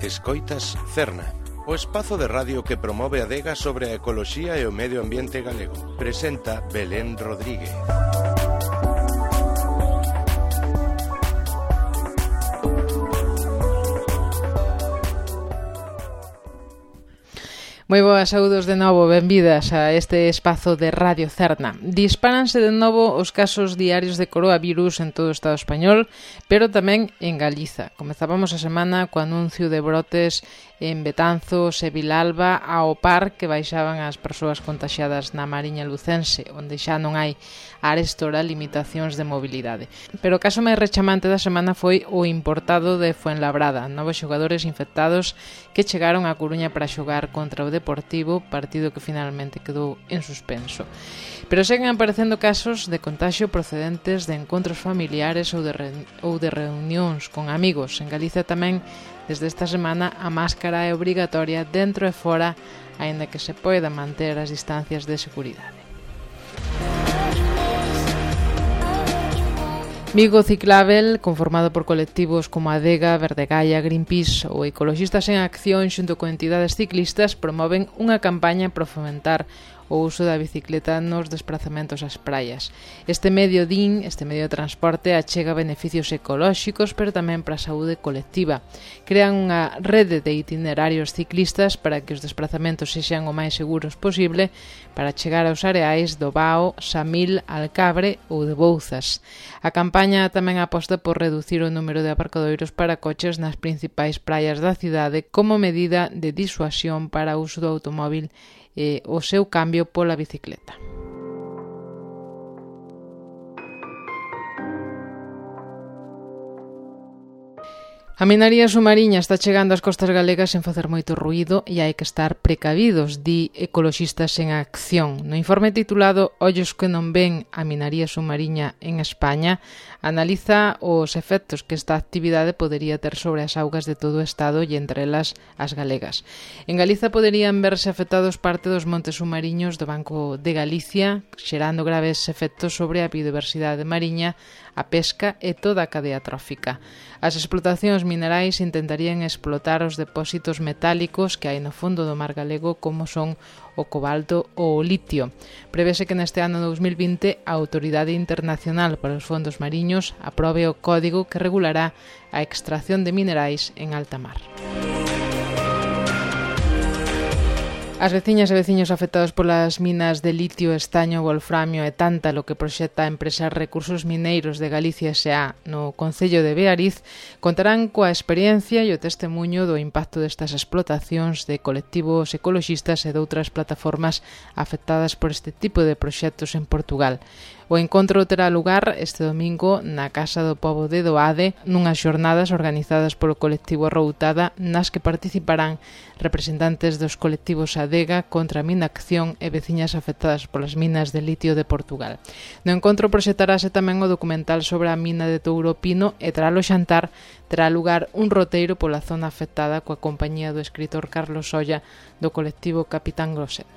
Escoitas Cerna, o espazo de radio que promove a adega sobre a ecoloxía e o medio ambiente galego. Presenta Belén Rodríguez. Moi boas, saúdos de novo, benvidas a este espazo de Radio Cerna. Dispáranse de novo os casos diarios de coronavirus en todo o Estado español, pero tamén en Galiza. Comezábamos a semana co anuncio de brotes en Betanzos e Vilalba ao par que baixaban as persoas contaxiadas na Mariña Lucense, onde xa non hai arestora limitacións de mobilidade. Pero o caso máis rechamante da semana foi o importado de Fuenlabrada, novos xogadores infectados que chegaron a Coruña para xogar contra o Deportivo, partido que finalmente quedou en suspenso. Pero seguen aparecendo casos de contagio procedentes de encontros familiares ou de reunións con amigos. En Galicia tamén, desde esta semana, a máscara é obrigatoria dentro e fora, aínda que se poida manter as distancias de seguridade. Vigo Ciclábel, conformado por colectivos como Adega, Verdegaia, Greenpeace ou Ecoloxistas en Acción xunto con entidades ciclistas, promoven unha campaña para fomentar o uso da bicicleta nos desplazamentos ás praias. Este medio de transporte achega beneficios ecolóxicos, pero tamén para a saúde colectiva. Crean unha rede de itinerarios ciclistas para que os desplazamentos sexan o máis seguros posible para chegar aos areais do Bao, Samil, Alcabre ou de Bouzas. A campaña tamén aposta por reducir o número de aparcadoiros para coches nas principais praias da cidade como medida de disuasión para o uso do automóbil e o seu cambio pola bicicleta. A minaría submarina está chegando ás costas galegas sen facer moito ruído e hai que estar precavidos, di Ecoloxistas en Acción. No informe titulado Ollos que non ven a minaría submarina en España, analiza os efectos que esta actividade podería ter sobre as augas de todo o Estado e entre elas as galegas. En Galiza poderían verse afectados parte dos montes submariños do Banco de Galicia, xerando graves efectos sobre a biodiversidade mariña, a pesca e toda a cadea trófica. As explotacións minerais intentarían explotar os depósitos metálicos que hai no fondo do mar galego, como son o cobalto ou o litio. Prevese que neste ano 2020 a Autoridade Internacional para os Fondos Mariños aprobe o código que regulará a extracción de minerais en alta mar. As veciñas e veciños afectados polas minas de litio, estaño, wolframio e tántalo que proxecta a empresa Recursos Mineiros de Galicia S.A. no concello de Beariz contarán coa experiencia e o testemuño do impacto destas explotacións de colectivos ecoloxistas e de outras plataformas afectadas por este tipo de proxectos en Portugal. O encontro terá lugar este domingo na Casa do Pobo de Doade, nunhas xornadas organizadas polo colectivo Routada, nas que participarán representantes dos colectivos Adega, Contra a Minacción e veciñas afectadas polas minas de litio de Portugal. No encontro proxectarase tamén o documental sobre a mina de Touro Pino e tras o xantar terá lugar un roteiro pola zona afectada coa compañía do escritor Carlos Solla do colectivo Capitán Grosete.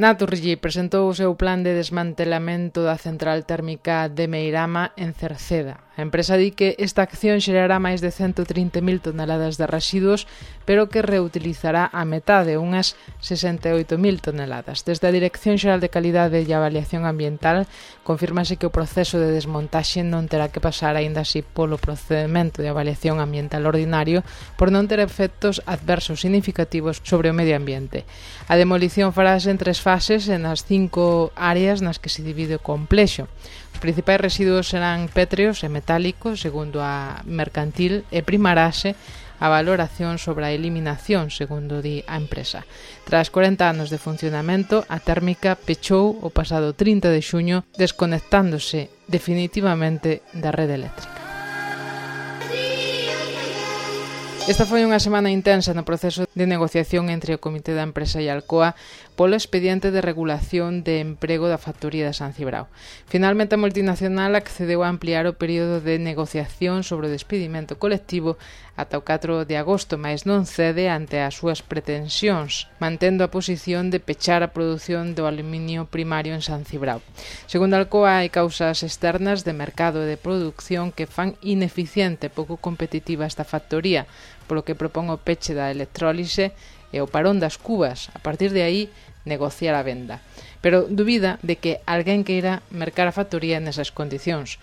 Naturgy presentou o seu plan de desmantelamento da central térmica de Meirama en Cerceda. A empresa di que esta acción xerará máis de 130.000 toneladas de residuos, pero que reutilizará a metade, unhas 68.000 toneladas. Desde a Dirección Xeral de Calidade e Avaliación Ambiental confírmase que o proceso de desmontaxe non terá que pasar aínda así polo procedemento de avaliación ambiental ordinario por non ter efectos adversos significativos sobre o medio ambiente. A demolición farase en 3 fases e nas 5 áreas nas que se divide o complexo. Os principais residuos serán pétreos e metálicos, segundo a mercantil, e primarase a valoración sobre a eliminación, segundo di a empresa. Tras 40 anos de funcionamento, a térmica pechou o pasado 30 de xuño, desconectándose definitivamente da rede eléctrica. Esta foi unha semana intensa no proceso de negociación entre o Comité da Empresa e a Alcoa polo expediente de regulación de emprego da factoría de San Cibrao. Finalmente, a multinacional accedeu a ampliar o período de negociación sobre o despedimento colectivo ata o 4 de agosto, mas non cede ante as súas pretensións, mantendo a posición de pechar a produción do aluminio primario en San Cibrao. Segundo a Alcoa, hai causas externas de mercado e de produción que fan ineficiente e pouco competitiva esta factoría, polo que propón o peche da electrólise e o parón das cubas. A partir de aí, negociar a venda. Pero dubida de que alguén queira mercar a factoría nesas condicións.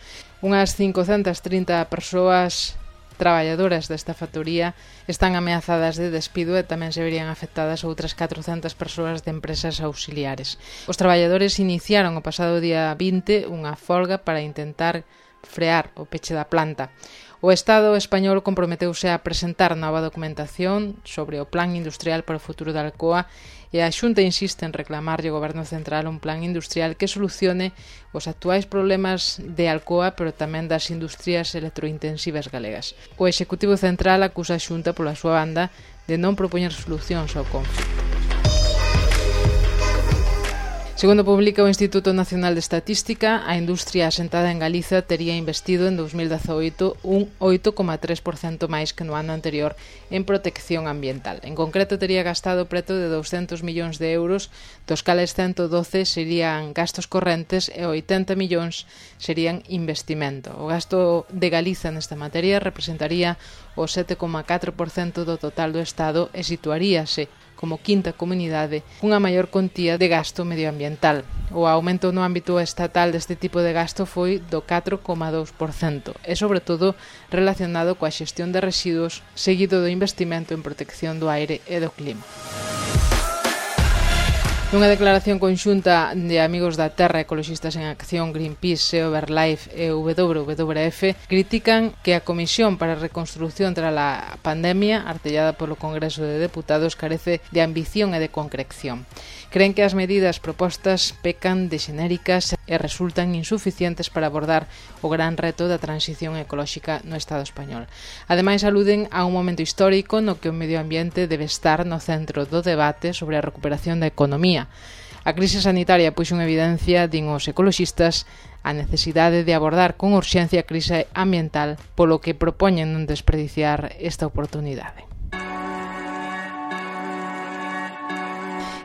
Unhas 530 persoas traballadoras desta factoría están ameazadas de despido e tamén se verían afectadas outras 400 persoas de empresas auxiliares. Os traballadores iniciaron o pasado día 20 unha folga para intentar frear o peche da planta. O Estado español comprometeuse a presentar nova documentación sobre o plan industrial para o futuro da Alcoa e a Xunta insiste en reclamarlle ao Goberno Central un plan industrial que solucione os actuais problemas de Alcoa, pero tamén das industrias electrointensivas galegas. O Executivo Central acusa a Xunta pola súa banda de non propoñer solucións ao conflito. Segundo publica o Instituto Nacional de Estatística, a industria asentada en Galiza tería investido en 2018 un 8,3% máis que no ano anterior en protección ambiental. En concreto, tería gastado preto de 200 millóns de euros, dos cales 112 serían gastos correntes e 80 millóns serían investimento. O gasto de Galiza nesta materia representaría o 7,4% do total do Estado e situaríase como quinta comunidade, unha maior contía de gasto medioambiental. O aumento no ámbito estatal deste tipo de gasto foi do 4,2% e, sobre todo, relacionado coa xestión de residuos, seguido do investimento en protección do aire e do clima. Nunha declaración conxunta de Amigos da Terra, Ecoloxistas en Acción, Greenpeace, Overlife e WWF critican que a Comisión para a Reconstrucción tras a pandemia, artellada polo Congreso de Deputados, carece de ambición e de concreción. Creen que as medidas propostas pecan de xenéricas e resultan insuficientes para abordar o gran reto da transición ecolóxica no Estado español. Ademais, aluden a un momento histórico no que o medio ambiente debe estar no centro do debate sobre a recuperación da economía. A crise sanitaria puxo en evidencia, din os ecoloxistas, a necesidade de abordar con urxencia a crise ambiental, polo que propoñen non desperdiciar esta oportunidade.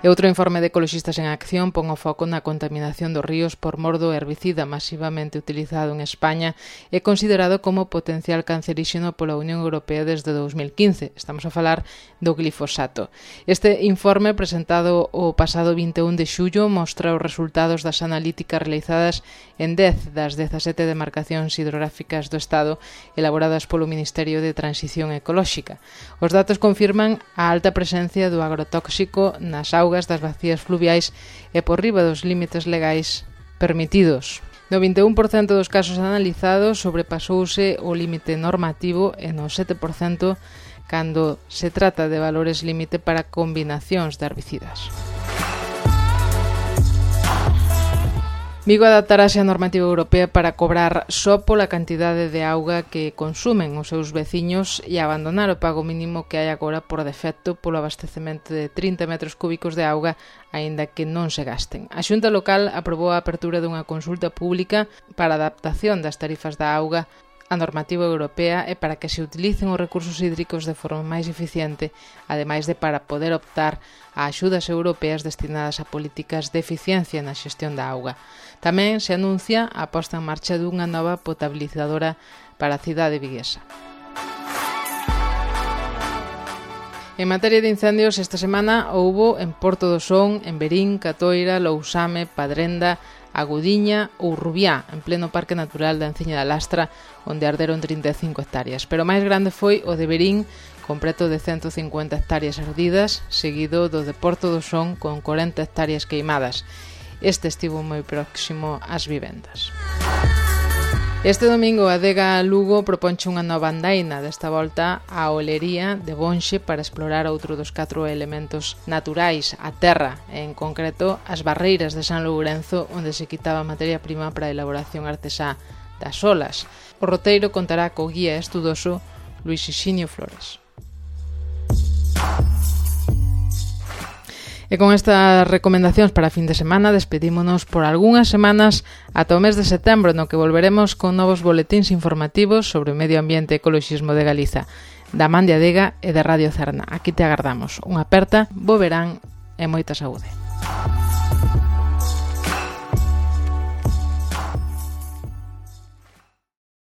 E outro informe de Ecoloxistas en Acción pon o foco na contaminación dos ríos por mor do herbicida masivamente utilizado en España e considerado como potencial canceríxeno pola Unión Europea desde 2015. Estamos a falar do glifosato. Este informe, presentado o pasado 21 de xullo, mostra os resultados das analíticas realizadas en 10 das 17 demarcacións hidrográficas do Estado elaboradas polo Ministerio de Transición Ecolóxica. Os datos confirman a alta presencia do agrotóxico nas augas das bacías fluviais e por riba dos límites legais permitidos. No 21% dos casos analizados sobrepasouse o límite normativo e no 7% cando se trata de valores límite para combinacións de herbicidas. Vigo adaptarase á normativa europea para cobrar só pola cantidade de auga que consumen os seus veciños e abandonar o pago mínimo que hai agora por defecto polo abastecemento de 30 metros cúbicos de auga, aínda que non se gasten. A Xunta Local aprobou a apertura dunha consulta pública para a adaptación das tarifas da auga a normativa europea e para que se utilicen os recursos hídricos de forma máis eficiente, ademais de para poder optar a axudas europeas destinadas a políticas de eficiencia na xestión da auga. Tamén se anuncia a posta en marcha dunha nova potabilizadora para a cidade viguesa. En materia de incendios, esta semana houbo en Porto do Son, en Verín, Catoira, Lousame, Padrenda, Agudiña ou Rubiá, en pleno Parque Natural da Enciña da Lastra, onde arderon 35 hectáreas. Pero o máis grande foi o de Verín, con preto de 150 hectáreas ardidas, seguido do de Porto do Son, con 40 hectáreas queimadas. Este estivo moi próximo ás vivendas. Este domingo a Adega Lugo proponche unha nova andaina, desta volta a olería de Bonxe para explorar outro dos 4 elementos naturais, a terra, en concreto as barreiras de San Lourenzo, onde se quitaba materia prima para a elaboración artesá das olas. O roteiro contará co guía estudoso Luis Xixinio Flores. E con estas recomendacións para fin de semana despedímonos por algunhas semanas ata o mes de setembro, no que volveremos con novos boletíns informativos sobre o medio ambiente e ecoloxismo de Galiza, da Man de Adega e de Radio Cerna. Aquí te agardamos. Unha aperta, bo verán e moita saúde.